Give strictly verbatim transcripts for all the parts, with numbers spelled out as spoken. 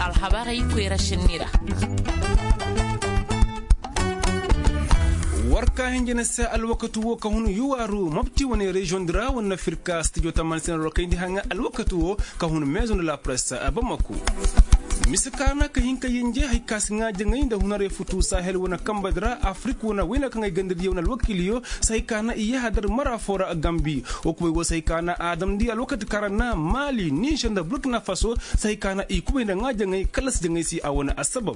Alhabarey koyra sinni ra. War ka hinjina se alwakati wo ka hun yuwaaru mopti wane reziyoŋ di ra wane na firka stijo tamaani se na rokayndi haŋa alwakati wo ka hun meezoŋ da la presse. Bamako mise kaana ka hin ka yinje hari ka si ŋaa jaŋay nda hunarey futu sahel wane kamba di ra afirik wane wayna kaŋ ay ganda diyo wane alwakiiliyo si hari ka na i yahadar mara foo ra gambi. Wo kubay wo si hari ka na a damndi alwakati kaŋ ra na maali nizer nda burkina faso si hari ka na i kubay nda ŋaa jaŋay kallasi jaŋay se a wane assabab.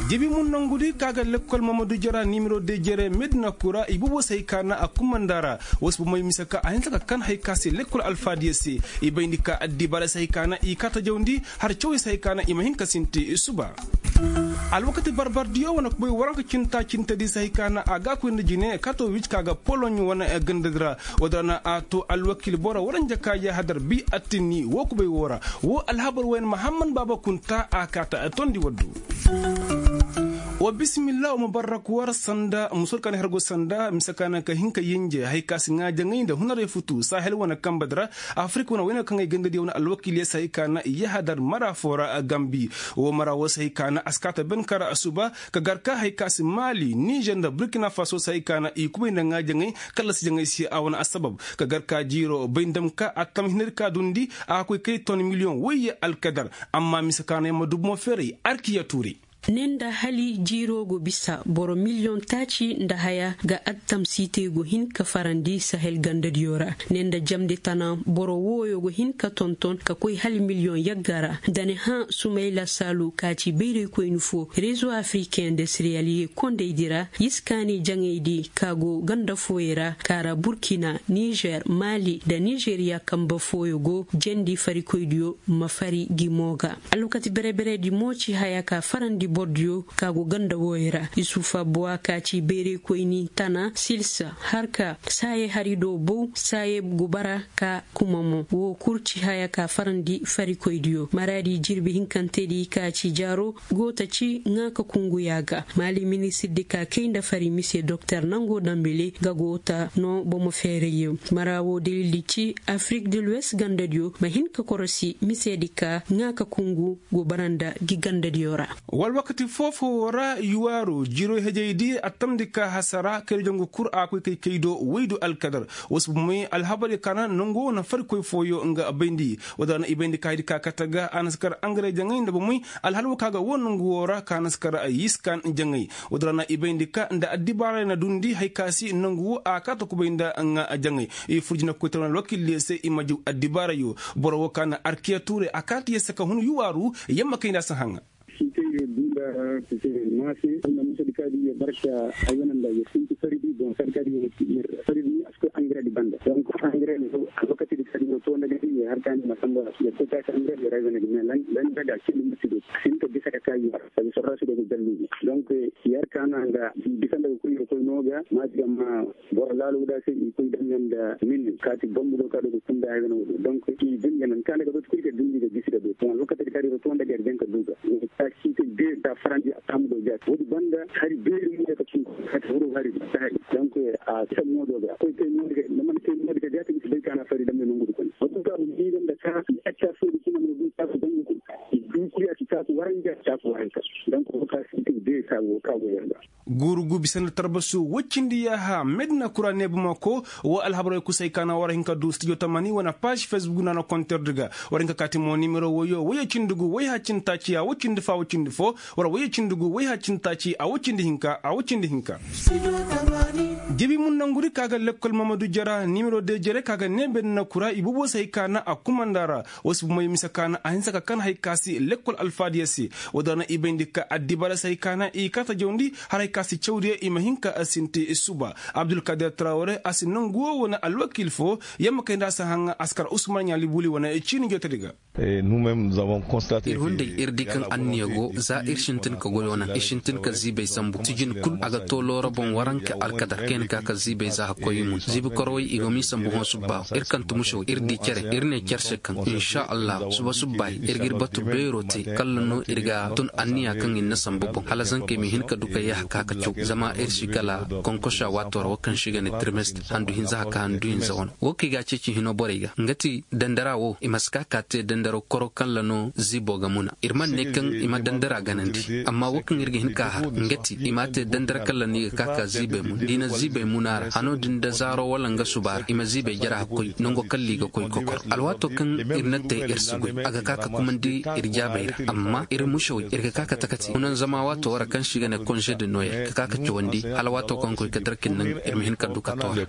Jibi mun nongu di ka ga lekkol mamadu jara nimero de jere medina kura i boobo si hari ka na a kumanda ra. Wo si bomey mise ka a hinsa ka kan hari ka se lekkol alfaadiyo se. I bayndi ka addibaara si hari ka na i kaa tajawndi har cawey si hari ka na i ma hin ka sinti suba. Alwakati barbardiyo wane kubay waranka cinta cintedi si hari ka na a ga a koy nda jine kato wici ka ga poloɲ wane gandadi ra. Woo din ra na a to alwakiil boro waranja ka yahadar bi attinni woo kubay woo ra. Woo alhabar wooyaŋ mahamman baaba kunta a kaata tondi waddu. Wa bisimilla wa ma barrak war sanda musor ka na hergo sanda mise ka na ka hin ka yinje hari ka si ŋaa jaŋay nda hunarey futu sahel wane kamba di ra. Afirik wane wayne kaŋ ay ganda diyo wane alwakiiliyo si hari ka na yahadar mara foo ra gambi. Woo mara woo si hari ka na a si kaata ben kara suba ka gar ka hari ka si maali nizer nda burkina faso si hari ka na i kubay nda ŋaa jaŋay kallasi jaŋay se a wane assabab. Ka gar ka jiiro bay nda ma ka a tam hinadi ka dundi a ga koy kay ton miliyoŋ wayye alkadar. Amma mise ka na yamma dubu mo feeray arkiya tuuray. Ne nda hali jiiroo go bisa boro miliyoŋ taaci nda haya ga attam siitey go hin ka farandi sahel gandadiyo ra. Ne nda jamndi tana boro wooyo go hin ka tonton ka koy hali miliyoŋ yagga ra. Nda ni hã sumayla saalu ka ci bayraykoyni foo rezo afriken nda siriyaliye kondaydi ra yiskaani jaŋaydi ka go ganda fooyey ra ka ra burkina nizer maali nda nizeriya kamba fooyo go jandi farikoydiyo ma fari gi moo ga. Alwakati bere-beredi mo ci haya ka farandi bordiyo ka go ganda wooyo ra isufa buwa ka ci bayraykoyni tana silsa har ka saaye hari do bow saaye go bara ka kuma mo woo kul ci haya ka farandi farikoydiyo maraadi jirbi hinkantedi ka ci jaaro go ta ci ŋaa ka kungu yaaga maali ministirdi ka kay nda fari mise doktor nango dambele ga go ta noo bomo feerayyo mara woo dalildi ci afirik de luwes gandadiyo ma hin ka korosi misedi ka ŋaa ka kungu go bara nda gi gandadiyo ra. Wala wakati foo-foo ra yuwaaro jiiro hejaydi a tamndi ka hasara kayri jongu kul a koy kay kay do woy du alkadar. Woo si bomey alhabaryo ka na nongu woo na farikoy fooyo nga bayndi. Woo din ra na i bayndi ka haydi ka kate ga a na si kar angare jaŋay nda bomey alhal woo ka ga woo nongu woo ra ka na si kar yiskan jaŋay. Woo din ra na i bayndi ka nda addibaarey na duundi hay ka si nongu woo a kaate kubay nda nga jaŋay. I fur jinakoytaray wane alwakiildiyo se i ma jaw addibaarayo. Boro woo ka na arkiya tuuray a kaate yer se ka hun yuwaaru yamma kay nda a si haŋa. Sitey yo duula sitey yo maase. Anda musadi kaadi yo barka ay wane nda yo sinti faridi bon sadi kaadi yo faridi ni a si koy angare di banda donc angare yo alwakati di kaadi yo to nda gadi yo har kaani ma samba yo koy taasi angare yo rayzana di mais lan lan daga kindi musi do sinta bisa ka kayi sabi sorra si do go jalluji donc yer kaana nga bisa nda go koy yo koy nooga maati amma boro laalo da se i koy danganda min kaati bombu do ka do ko kunda ay wana wodo donc i dingana ka daga do kuri ka dindi ga gisi da do to lokaci ka do to nda gar den ka duga ta site de ta farandi a tam do ja wodi banda hari be ni ka cin ka wuro hari ta hari donc a ta modo ga koy te modo ga man te modo ga ja ta bai kana fari da men ngudu ko wato ka ni dan da ka a ta so di kuma no bi ta ko dan ko du kuri a ta ko waranja ta ko waranja donc ka site de ka wo ka wo yanda. Guurugu bisa nda tarbasu woy cindi yaaha medina kura ne bamako. Wo alhabarey kusay ka na war hin ka du studio tamani wane paazi fesbuk nda na konterdi ga. War hin ka kaati mo nimero woyo woyey cindi gu woyha cindi taaci a woy cindi fo a woy cindi fo. War woyey cindi gu woyha cindi taaci a woy cindi hinka a woy cindi hinka. Jibi mun nanguri ka ga lekkol mamadu jara nimero de jere ka ga ne medina kura i bobo say ka na a kumanda ra. Wo si bumey mise ka na a hinsa ka kan hay ka si lekkol alfaadiya se. Woo din ra na i bayndi ka addibaara se hay ka na i kaata jawndi har hay ka si cawdiya i ma hin ka sinti suba. Abdulkadir tarawre a si nongu woo wane alwakiil foo yamma kay nda a si haŋa a si kar usman ɲaali buli wane ciini jootedi ga. Ir hunday ir di kaŋ anniya go za ir sintin ka goyoo naŋ ir sintin ka ziibay sambu sijin kul a ga too loora boŋ waranka alkadar kayna ka ka ziibay za hakkoy i mun ziibi korowey i go m'i sambu hõ subba ir kaŋ tumuso ir di cere ir ne cer se kaŋ inša allah suba subbaay ir g'ir batu beero. Kalla no ir ga tun anniya kaŋ ir na sambu boŋ hala zankey ma hin ka du ka yee haka ka caw zama ir si kala konkosa waato ra wo kaŋ se i ga ne tirmestir handu hinza haka handu hinza wano wo kaŋ i ga a ceeci hino borey ga nga ti dandara wo i ma si ka ka te dandaro koro kalla no ziibo ga muna ir man ne kaŋ i ma dandara ganandi amma wo kaŋ ir ga hin ka a har nga ti i ma a te dandara kalla no i ga ka ka ziibey mun da i na ziibey muna ra hano din da zaaro wala nga suba ra i ma ziibey jara hakkoy nango kalla i ga koy kokoro alwaato kaŋ ir na te ir si goy a ga ka ka kumandi ir jaabey ra amma ir musawey ir ga ka ka takati hunan zama waato wara kaŋ se i ga ne konze de noyel ka ka ka cawandi hala waato kaŋ koy ka darkin naŋ ir ma hin ka du ka toora.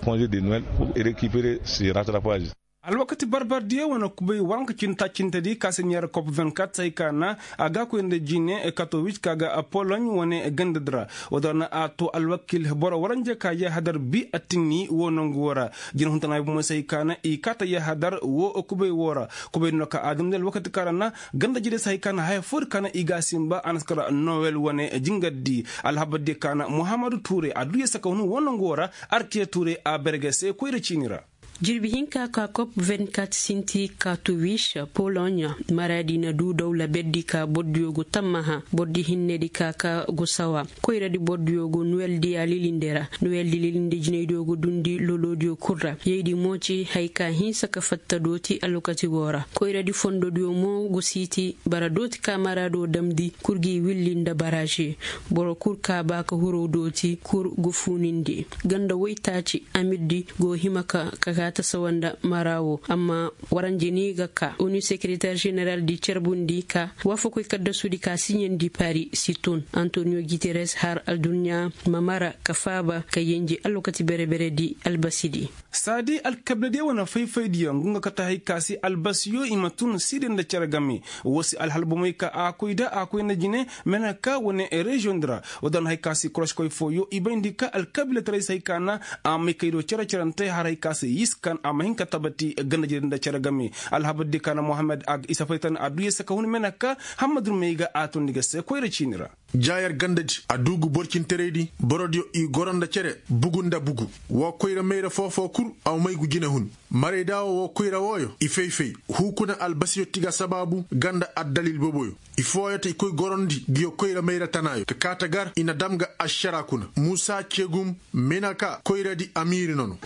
Alwakati barbardiyo wane kubay waranka cintacintedi ka se neera kop vingt-quatre se hay ka na a ga koy nda jine katowis ka ga pologne wane gandadi ra. Wo-din ra na a to alwakil boro waranje ka yahadar bi attinni wo nangu wo ra. Jine huntanayo bomoy se hay ka na i kaata yahadar wo kubay wo ra. Kubay no ka a damndi alwakati ka ra na gandajediyo se hay ka na haya foodi ka na i ga a sinba a na si kara nowel wane jingardi. Alhabardiyo ka na muhammadu tuure a duu yee saka hun wo nangu wo ra. Artiye tuure a berge se koyra ciini ra. Jirbi hinka ka kop vingt-quatre sinti katuwis pologne maradi na du dawla berdi ka bordiyo go tammaha bordi hinnedi ka ka go sawa koyradi bordiyo go nuweldi a lilinde ra. Nuweldi lilinde jinaydiyo go dundi lolodiyo kul ra yaydi mo ci hay ka hinsa ka fatta dooti alwakati go ra koyradi fondodiyo mo go siiti bara dooti ka marado damdi kul gi willi nda baraže. Boro kul ka ba ka huro dooti kul go fuunindi ganda woytaaci amirdi go hima ka ka tasawa nda mara wo amma waranje ni ga ka onu sekeretar jeneral di carbundi ka waafakoy kaddasudi ka siɲandi pari si tun antonio guterres har adduɲɲa ma mara ka faaba ka yenji alwakati bere-bere di albasidi. Saadi alkabiladiyo wane fay-faydiyo ngu nga kate hay ka si albasiyo i ma tun siide nda cere game. Wo si alhal bomey ka a koy da a koy nda jine mena ka wane reziyoŋ di ra. Wo daŋ hay ka si koroskoy fooyo i bayndi ka alkabiilataray se hay ka na a may kay do cere-cerante har hay ka se yiskan a ma hin ka tabati ganda jire nda cere game. Alhabar di ka na mohammed a ga isa faytan a duu yee saka hun mena ka hammadun may ga a tundi ga se koyra ciini ra. Jaayar gandadi a duu ga borcinteraydi borodiyo i goro nda cere bugu nda bugu. Woo koyra mayra foo-foo kul a may gu jinehun. Marayda woo woo koyra wooyo i fay-fay huu kuna albasiyo ti ga sabaabu ganda addalil boboyo. I fooyo ta i koy gorondi nguyo koyra mayra tanaayo ka kaa ta gar i na dam ga ašara kuna muusa cegum. Mena ka koyradi amiiri nono.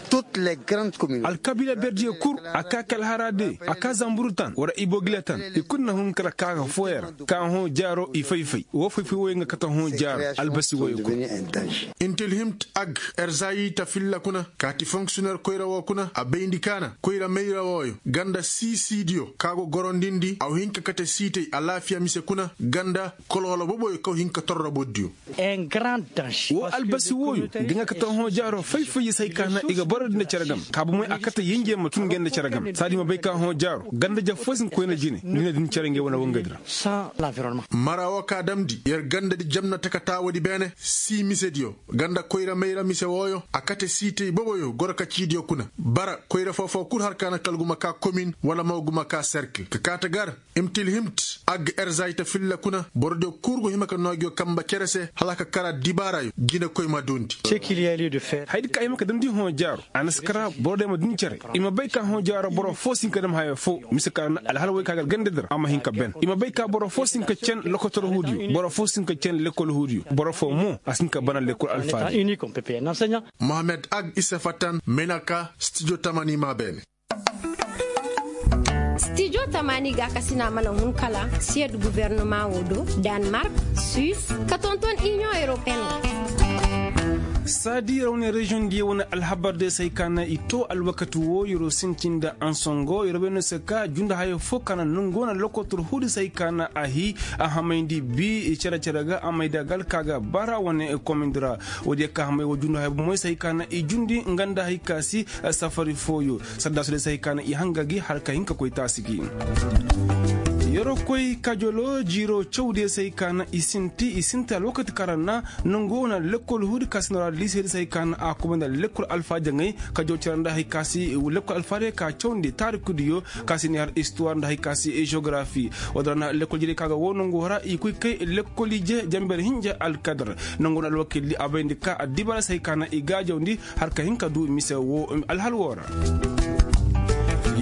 Alkabiila berdiyo kul a kaa kalhara de a kaa zamburu tan wara iboogila tan i kul na hun kala kaa ga fooyo ra. Kaa hõ jaaro i fay-fay woo fay-fay wooyo nga kate hõ jaaro albasi wooyo kul. Intilhimt ag erzayita filla kuna kaati fonksiyoner koyra woo kuna a bayndi ka na koyra mayra wooyo ganda sii siidiyo ka go gorondindi a wa hin ka kate siitay alaafiya mise kuna ganda koloolo boboyo ka wa hin ka torro bordiyo. Woo albasi wooyo ga nga kate hõ jaaro fay-fay ya se hay ka na i ga borodi nda cere game ka bomey a kate yenje ma tun ngey nda cere game saadi ma bay ka hõ jaaro ganda jaf foo si hin ka koy nda jine ni na din cere ngey wane wangadi ra. Mara woo ka damndi yer gandadi jamna taka taawoodi beene sii misediyo ganda koyra mayra mise wooyo a kate siitay boboyo goro ka ciidiyo kuna. Bara koyra foo-foo kul har ka na kala guma kaa komin wala mo guma kaa serkil ka kaa ta gar. Imtilhimt ag erzayta filla kuna borodiyo kul go hima ka noo nguyo kamba cere se hala ka kara dibaarayo jinekoy ma duundi. Hayadi ka hima ka damndi hõ jaaro a na si kara borodiyo ma duundi cere. I ma bay ka hõ jaaro boro foo si hin ka dam haya foo mise ka na alhal woy ka ga algandadi ra a ma hin ka ben i ma bay ka boro foo si hin ka cen lokotor huudiyo boro foo si hin ka cen lekol huudiyo boro foo mo a si hin ka bana lekol alfaadi. Mohammed ag isa fattan menaka stijo tamani ma beene. Stijo tamani ga kasina mana hun kala siyad guvernoma wo do, danmark, suis, ka tonton inion europeen. Saadi rawne reziyoŋ diyo wane alhabar de se hay ka na i to alwakati wo yeroo sintin nda ansongo yeroo bay no se ka junda hayo foo ka na nongu wane lokotor huudi se hay ka na a hii a hamayndi bi cere-cere ga a mayda ga alka ga bara wane komindi ra. Woodiyo ka hamay wo junda hayo bomoy se hay ka na i jundi nga nda hay ka si safari fooyo. Saddaasu de se hay ka na i hanga gi har ka hin ka koy taasi gi. Yeroo koy kajolo jiiroo cawdiyo se hay ka na i sinti i sinti alwakati ka ra na nongu wane lekkol huudi ka si noo ra liiseedi se hay ka na a kubay nda lekkol alfaajaŋey. Kajoo cere nda hay ka si lekkol alfaajey ka cawndi taarikudiyo ka si ne har istuwaar nda hay ka si jeogarafi. Woodin ra na lekkol jere ka ga woo nongu hara i koy kay lekkol ije jamber hinja alkadar. Nongu na alwakildi a bayndi ka addibaara se hay ka na i gaajawndi har ka hin ka duu mise woo alhal woo ra.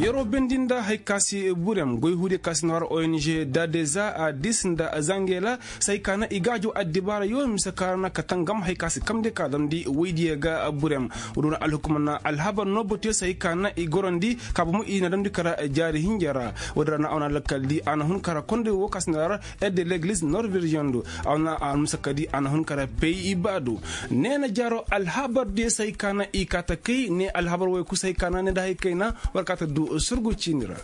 Yeroo bendi nda hari ka si burem goy huudiyo ka si na war ong dadeza a dis nda zangela, si hari ka na i gaajo addibaara yoo mise ka ra na ka tangam hari ka si kamndi ka damndi woydiyo ga burem. Woo do na alhukuma na alhabar noo batuyo si hari ka na i gorandi ka bomo i na damndi kara jaari hinja ra. Woo di ra na a wane lakkal di a na hun kara konday woo ka si na war ede legliz norveriziyoŋ do. A wane almusakka di a na hun kara pey i ba do. Neena jaaroo alhabar diyo si hari ka na i kaa ta kay ne alhabar woyoo kul si hari ka na ne nda hari kayna war kaa ta du surgu ciini ra.